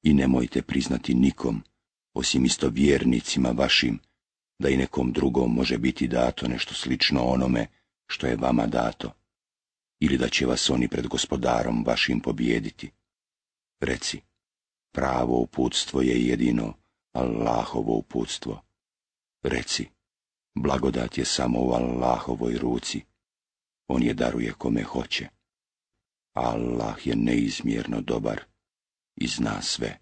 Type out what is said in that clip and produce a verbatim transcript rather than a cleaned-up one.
I nemojte priznati nikom, osim isto vjernicima vašim, da i nekom drugom može biti dato nešto slično onome što je vama dato, ili da će vas oni pred gospodarom vašim pobijediti. Reci, pravo uputstvo je jedino Allahovo uputstvo. Reci, blagodat je samo u Allahovoj ruci. On je daruje kome hoće. Allah je neizmjerno dobar i zna sve.